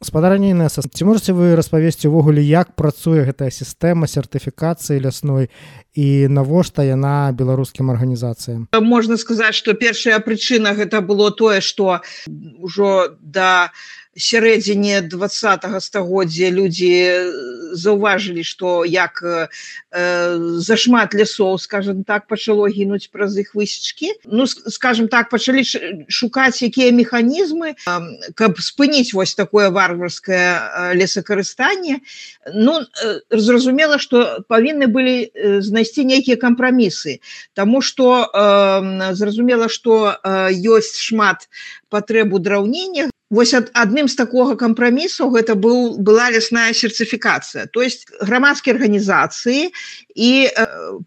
Гаспадарня Інеса, ці можаце вы распавесці ўвогуле, як працуе гэтая сістэма сертыфікацыі лясной і навошта яна беларускім арганізацыям? Можна сказаць, што першая прычына гэта было тое, што ўжо да сярэдзіне 20-го стагоддзя людзі заўважылі, што як зашмат лясоў, скажем так, пачало гінуць праз іх высечкі. Ну, скажем так, пачалі шукаць якія механізмы, каб спыніць вось такое варварскае лесакарыстанне. Ну, зразумела, што павінны былі знайсці нейкія кампрамісы, таму што зразумела, што ёсць шмат патрэб у драўнення. Вось адным з такога кампрамісу гэта была лясная сертыфікацыя. То есть грамадскія арганізацыі і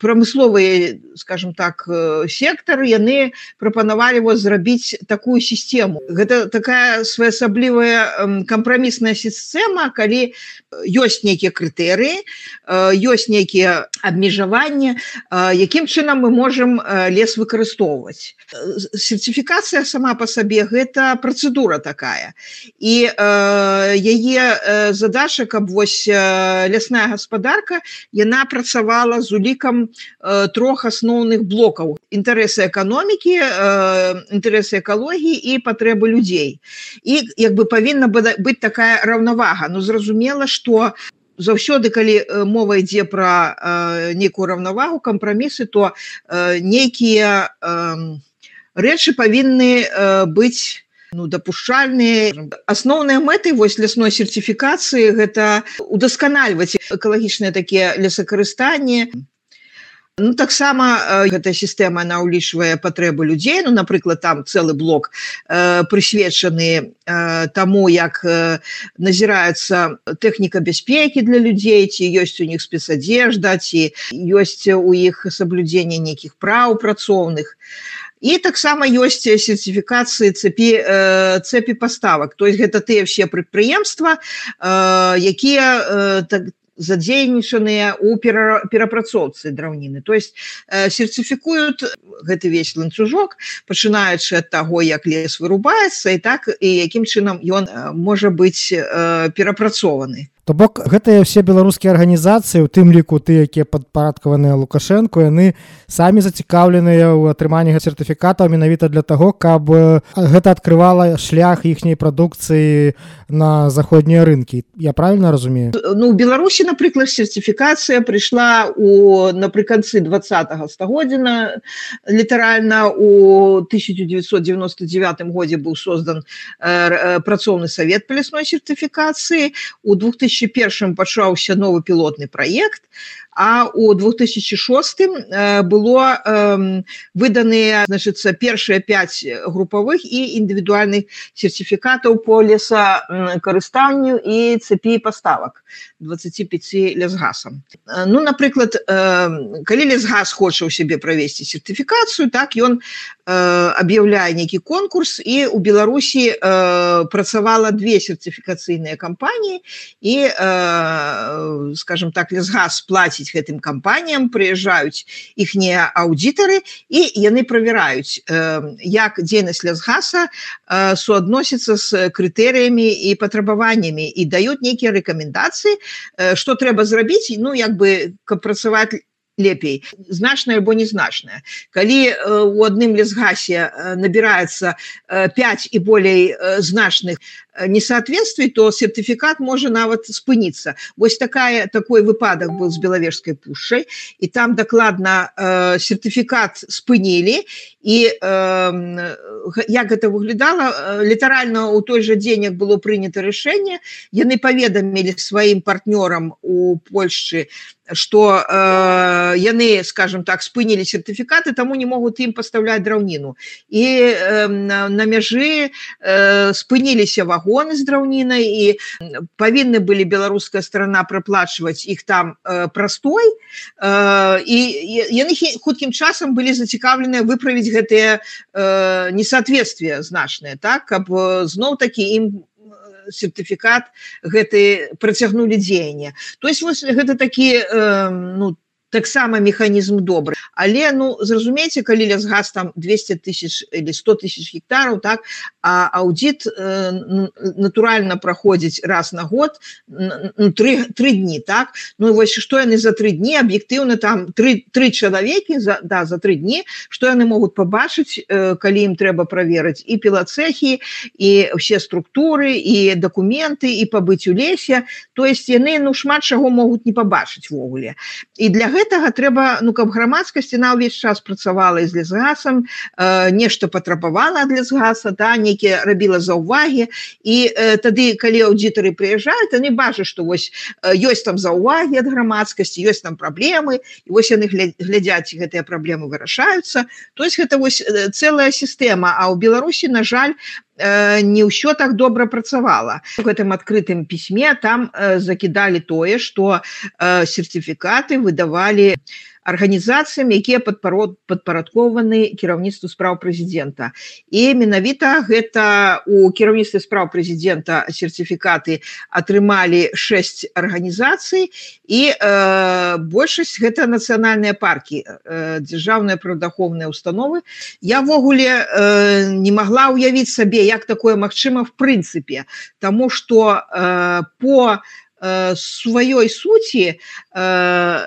прамысловыя, скажем так, сектары, яны прапанавалі зрабіць такую сістэму. Гэта такая своеасаблівая кампрамісная сістэма, калі ёсць нейкія крытэрыі, ёсць нейкія абмежаванні, якім чынам мы можам лес выкарыстоўваць. Сертыфікацыя сама па сабе гэта працэдура такая. І яе задача, каб вось лясная гаспадарка, яна працавала з улікам трох асноўных блокаў: інтарэсы эканомікі, інтарэсы экалогіі і патрэбы людзей. І як бы павінна быць такая раўнавага. Ну, зразумела, што заўсёды, калі мова ідзе пра нейкую раўнавагу, кампрамісы, то нейкія рэчы павінны быць дапушчальныя. Асноўныя мэты вось лясной сертыфікацыі гэта удасканальваць экалагічныя такія лесакарыстанні. Ну, таксама гэтая сістэма, она ўлічвае патрэбы людзей. Ну, напрыклад, там цэлы блок прысвечаны таму, як назіраецца тэхніка бяспекі для людзей, ці ёсць у них спецадзежда, ці ёсць у іх саблюдзенне нейкіх праў працоўных. І таксама ёсць сертыфікацыі цэпі паставак. То есть гэта тыя ўсе прадпрыемствы, якія задзейнічаныя ў перапрацоўцы драўніны. То есть сертыфікуюць гэты весь ланцужок, пачынаючы ад таго, як лес вырубаецца, і так, і якім чынам ён можа быць перапрацованы. То бок гэтыя ўсе беларускія арганізацыі, у тым ліку тыя, якія падпарадкаваныя Лукашэнку, яны самі зацікаўленыя ў атрыманні сертыфікатаў менавіта для таго, каб гэта адкрывала шлях іхняй прадукцыі на заходнія рынкі. Я правільна разумею? Ну, у Беларусі, напрыклад, сертыфікацыя прыйшла напрыканцы 20-го стагоддзя. Літаральна у 1999 годзе быў создан працоўны савет па лясной сертыфікацыі. У 2001 пачаўся новы пілотны праект, а у 2006 было выданыя, першыя 5 групавых і індывідуальных сертыфікатаў по лесакарыстанню і цэпі паставак 25 лясгасам. Ну, напрыклад, калі лесгас хоча ў сябе правесці сертыфікацыю, так, ён аб'яўляе нейкі конкурс, і у Беларусі працавала 2 сертыфікацыйныя кампаніі, і, скажем так, лесгас плаціць гэтым кампаніям, прыязджаюць іхнія аўдытары, і яны правяраюць, як дзейнасць лесгаса суадносіцца з крытэрыямі і патрабаваннямі, і даюць нейкія рэкамендацыі, што трэба зрабіць, ну, як бы, каб працаваць лепей, значнае альбо незначнае. Калі у адным лесгасе набіраецца 5 і болей значных несоответствий, то сертыфікат можа нават спыніцца. Вось такой выпадак быў з Белавежскай пушчай, і там дакладна сертыфікат спынілі, і як гэта выглядала, літаральна ў той жа дзень, як было прынята рашэнне, яны паведамілі сваім партнёрам у Польшчы, што яны, скажем так, спынілі сертыфікаты, таму не могуць ім пастаўляць драўніну. І на мяжы спыніліся вагоны з драўнінай, і павінны былі беларуская старана праплачваць іх там прастой, і яны хуткім часам былі зацікаўленыя выправіць гэтыя несоответствия значныя, так, каб зноў-такі ім сертыфікат гэты працягнулі дзеянне. То есть вось гэта такі, ну, таксама механізм добры. Але ну зразумейце, калі лясгас там 200 тысяч или 100 тысяч гектараў, так, а аўдзіт натуральна праходзіць раз на год, 3 дні, так. Ну вось што яны за 3 дні аб'ектыўна там 3 чалавекі за 3 дні, што яны могуць пабачыць, калі ім трэба праверыць і пілацэхі, і ўсе структуры, і дакументы, і пабыць у лесе. То есть яны ну шмат чаго могуць не пабачыць ввогуле. І для гэтага трэба, ну, каб грамадскасць на ўвесь час працавала з лясгасам, нешта патрабавала ад лясгаса, да, нейкія рабіла заўвагі, і тады, калі аўдзітары прыязджаюць, яны бачаць, што вось ёсць там заўвагі ад грамадскасці, ёсць там праблемы, і вось яны глядзяць, гэтыя праблемы вырашаюцца. То есть гэта вось цэлая сістэма, а ў Беларусі, на жаль, не ўсё так добра працавала. У гэтым адкрытым пісьме там закідалі тое, што сертыфікаты выдавалі арганізацыям, якія падпарадкоўваны кіраўніцтву спраў прэзідэнта. І менавіта гэта у кіраўніцтве спраў прэзідэнта сертыфікаты атрымалі 6 арганізацый, і большасць гэта нацыянальныя паркі, дзяржаўныя прыродаахоўныя установы. Я ввогуле не магла ўявіць сабе, як такое магчыма в прынцыпе, таму што по сваёй суці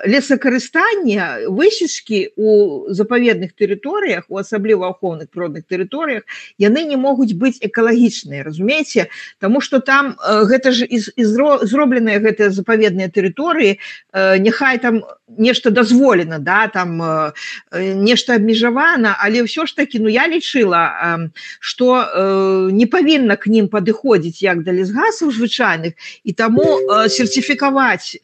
лесакарыстання, высечкі у запаведных тэрыторыях, у асабліва ахоўных прыродных тэрыторыях, яны не могуць быць экалагічныя, разумееце? Таму што там гэта ж зробленыя гэтыя запаведныя тэрыторыі, няхай там нешта дазволена, да, там нешта абмежавана, але ўсё ж такі, ну я лічыла, што не павінна к ним падыходзіць як да лесгасаў звычайных, і таму сертифікаваць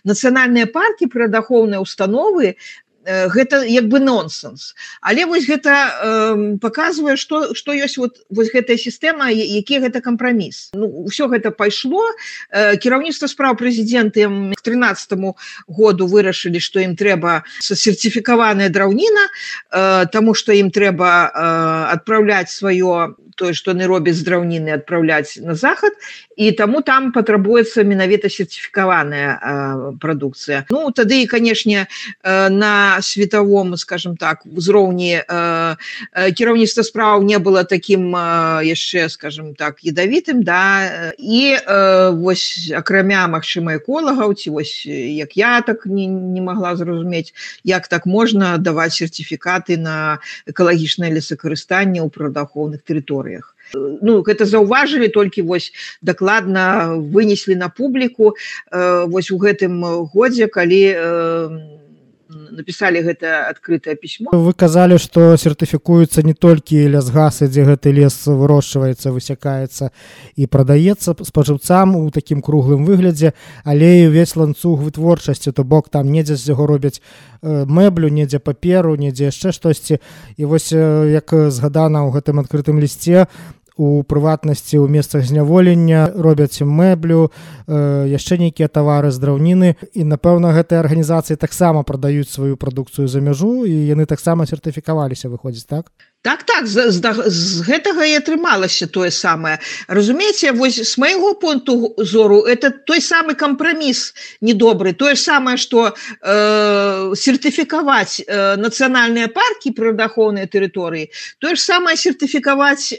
нацыянальныя паркі, прыродаахоўныя установы, гэта як бы нонсенс. Але вось гэта паказвае, што ёсць вось гэтая сістэма, які гэта кампраміс. Ну, ўсё гэта пайшло. Кіраўніцтва спраў прэзідэнта к 13-му году вырашылі, што ім трэба сертыфікаваная драўніна, таму што ім трэба адпраўляць сваё, тое, што яны робяць з драўніны, адпраўляць на захад, і таму там патрабуецца менавіта сертыфікаваная прадукцыя. Ну, тады, канешне, на световом, скажем так, узроўні кіраўніцтва спраў не было таким яшчэ, скажем так, ядавітым, да, і вось акрамя, магчыма, эколагаў, ці вось як я так не магла зразумець, як так можна даваць сертыфікаты на экалагічнае лесакарыстанне ў прыродаахоўных тэрыторыях. Ну, гэта заўважылі, толькі вось дакладна вынеслі на публіку вось у гэтым годзе, калі написали гэта адкрытае пісьмо. Вы казалі, што сертыфікуюцца не толькі лясгасы, дзе гэты лес вырошчваецца, высякаецца і прадаецца спажыўцам у такім круглым выглядзе, але і ўвесь ланцуг вытворчасці, то бок там недзе з яго робяць мэблю, недзе паперу, недзе яшчэ штосьці. І вось як згадана ў гэтым адкрытым лісце, у прыватнасці ў месцах зняволення робяць мэблю, яшчэ нейкія тавары з драўніны, і напэўна гэтыя арганізацыі таксама прадаюць сваю прадукцыю за мяжу, і яны таксама сертыфікаваліся, выходзіць, так? Так, з гэтага і атрымалася тое самае. Разумееце, вось з майго пункту зору, это той самы кампраміс недобры, тое ж самае, што сертыфікаваць нацыянальныя паркі, прыродаахоўныя тэрыторыі, тое ж самае сертыфікаваць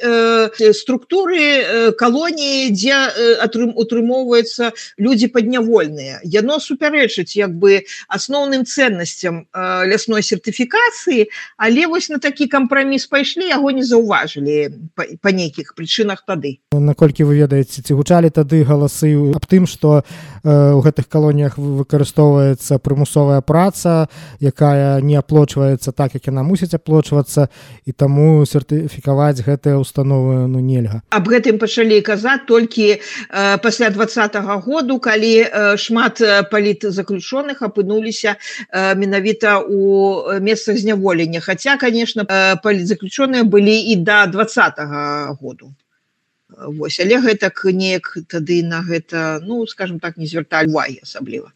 структуры калоніі, дзе утрымоўваюцца людзі паднявольныя. Яно супярэчыць як бы асноўным цэннасцям лясной сертыфікацыі, але вось на такі кампраміс пайшлі, яго не заўважылі па нейкіх прычынах тады. Наколькі вы ведаеце, ці гучалі тады галасы аб тым, што ў гэтых калоніях выкарыстоўваецца прымусовая праца, якая не аплочваецца так, як яна мусіць аплочвацца, і таму сертыфікаваць гэтыя установы нельга. Аб гэтым пачалі казаць толькі пасля 20-го году, калі шмат палітзаключоных апынуліся менавіта ў месцах зняволення. Хаця, конечно, палітзаключоныя былі і да 20-го году. Вось, але гэтак неяк тады на гэта, ну, скажем так, не звярталі увагі асабліва.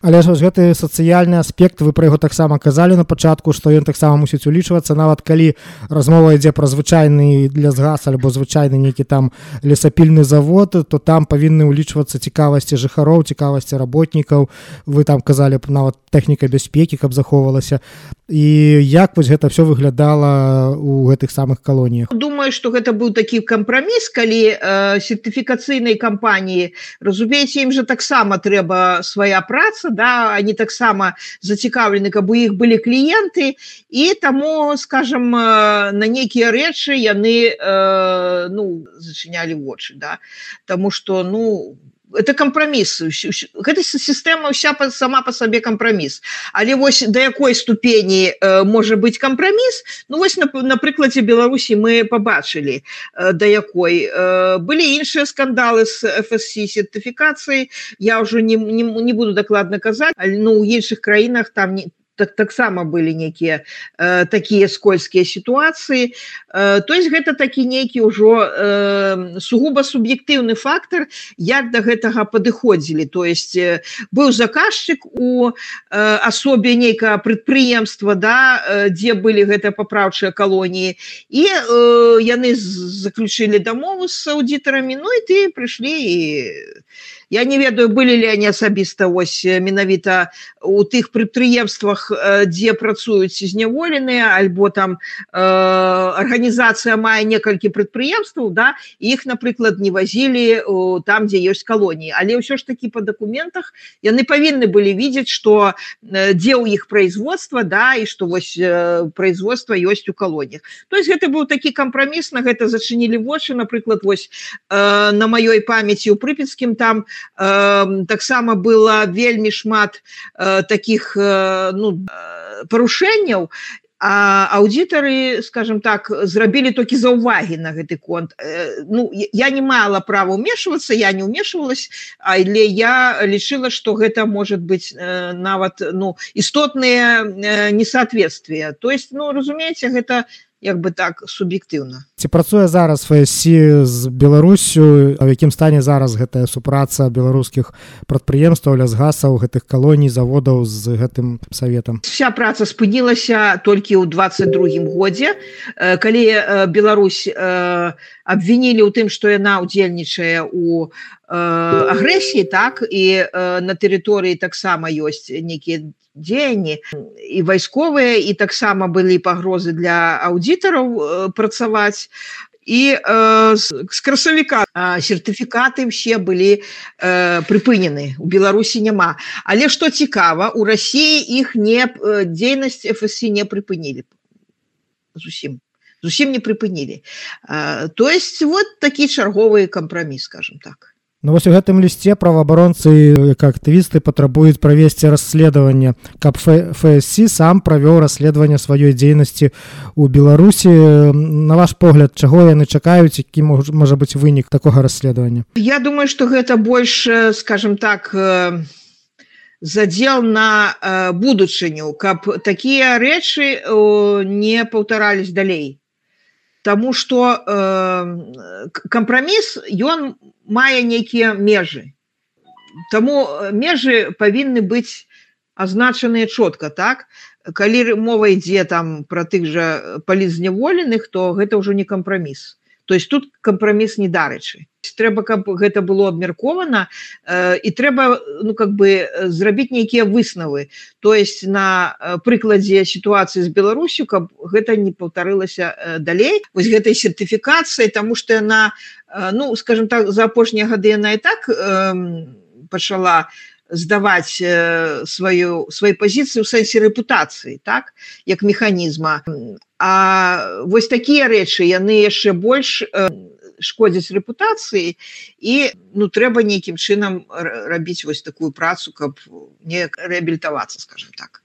Але ж гэты сацыяльны аспект, вы пра яго таксама казалі на пачатку, што ён таксама мусіць улічвацца, нават калі размова ідзе пра звычайны лесгас альбо звычайны нейкі там лесапільны завод, то там павінны ўлічвацца цікавасці жыхароў, цікавасці работнікаў. Вы там казалі нават тэхніка бяспекі, каб захоўвалася. І як вось гэта ўсё выглядала ў гэтых самых калоніях? Думаю, што гэта быў такі кампраміс, калі сертыфікацыйнай кампаніі, разумееце, ім жа таксама трэба свая праца, да, они таксама зацікаўлены, каб у іх былі кліенты, і таму, скажем, на нейкія рэчы яны зачынялі вочы, да, таму што, это кампраміс. Гэта сістэма ўся сама па сабе кампраміс. Але вось да якой ступені можа быць кампраміс, вось на прыкладзе Беларусі мы пабачылі, да якой. Былі іншыя скандалы з FSC сертыфікацыяй, я ўжо не буду дакладна казаць, але ў іншых краінах там таксама былі нейкія такія скользкія сітуацыі. То есть гэта такі нейкі ўжо сугуба суб'ектыўны фактар, як да гэтага падыходзілі. То есть быў заказчык у асобе нейкага прадпрыемства, да, дзе былі гэта папраўчыя калоніі, і яны заключылі дамову з аўдытарамі, і ты прыйшлі і я не ведаю, былі ли они асабіста ось менавіта у тых прадпрыемствах, дзе працуюць зняволеныя, альбо там арганізацыя мае некалькі прадпрыемстваў, да, і іх, напрыклад, не вазілі там, дзе ёсць калоніі. Але ўсё ж такі па дакументах яны павінны былі видець, што дзе ў іх производства, да, і што вось производства ёсць у калоніях. То есть гэта быў такі кампраміс, на гэта зачынілі вочы, напрыклад, вось на маёй памяці ў Прыпецкім там таксама было вельмі шмат такіх парушэнняў, а аўдытары, скажем так, зрабілі толькі заўвагі на гэты конт. Я не мала права ўмешвацца, я не ўмешвалась, але я лічыла, што гэта можа быць нават істотныя несоответствия. То есть, разумееце, гэта як бы так суб'ектыўна. Ці працуе зараз FSC з Беларусю, а ў якім стане зараз гэтая супраца беларускіх прадпрыемстваў, лясгасаў, гэтых калоній, заводаў з гэтым саветам? Вся праца спынілася толькі ў 22-м годзе, калі Беларусь абвінілі ў тым, што яна ўдзельнічае ў агрэсіі, так, і на тэрыторыі таксама ёсць нейкія дзеянні і вайсковыя, і таксама былі пагрозы для аўдытараў працаваць. І з красавіка сертыфікаты ўсе былі прыпынены, у Беларусі няма. Але што цікава, у Расіі іх дзейнасць FSC не прыпынілі зусім не прыпынілі. То есть вот такі чарговы кампраміс, скажем так. Вось у гэтым лісце праваабаронцы, як актывісты, патрабуюць правесці расследаванне, каб FSC сам правёў расследаванне сваёй дзейнасці ў Беларусі. На ваш погляд, чаго яны чакаюць, які можа быць вынік такога расследавання? Я думаю, што гэта больш, скажем так, задзел на будучыню, каб такія рэчы не паўтарались далей. Таму што кампраміс, ён мае нейкія межы. Таму межы павінны быць азначаныя чётка, так? Калі мова ідзе там пра тых жа палітзняволеных, то гэта ўжо не кампраміс. То есть тут кампраміс не дарэчы. Трэба, каб гэта было абмеркована, і трэба, зрабіць нейкія выснавы. То есть на прыкладзе сітуацыі з Беларусю, каб гэта не паўтарылася далей. Вось гэтай сертыфікацыі, таму што яна, скажем так, за апошнія гады яна і так пачала здаваць свае пазіцыі ў сэнсе рэпутацыі, так, як механізма. А вось такія рэчы, яны яшчэ больш шкодзяць рэпутацыі, і трэба нейкім чынам рабіць вось такую працу, каб не рэабілітавацца, скажем так.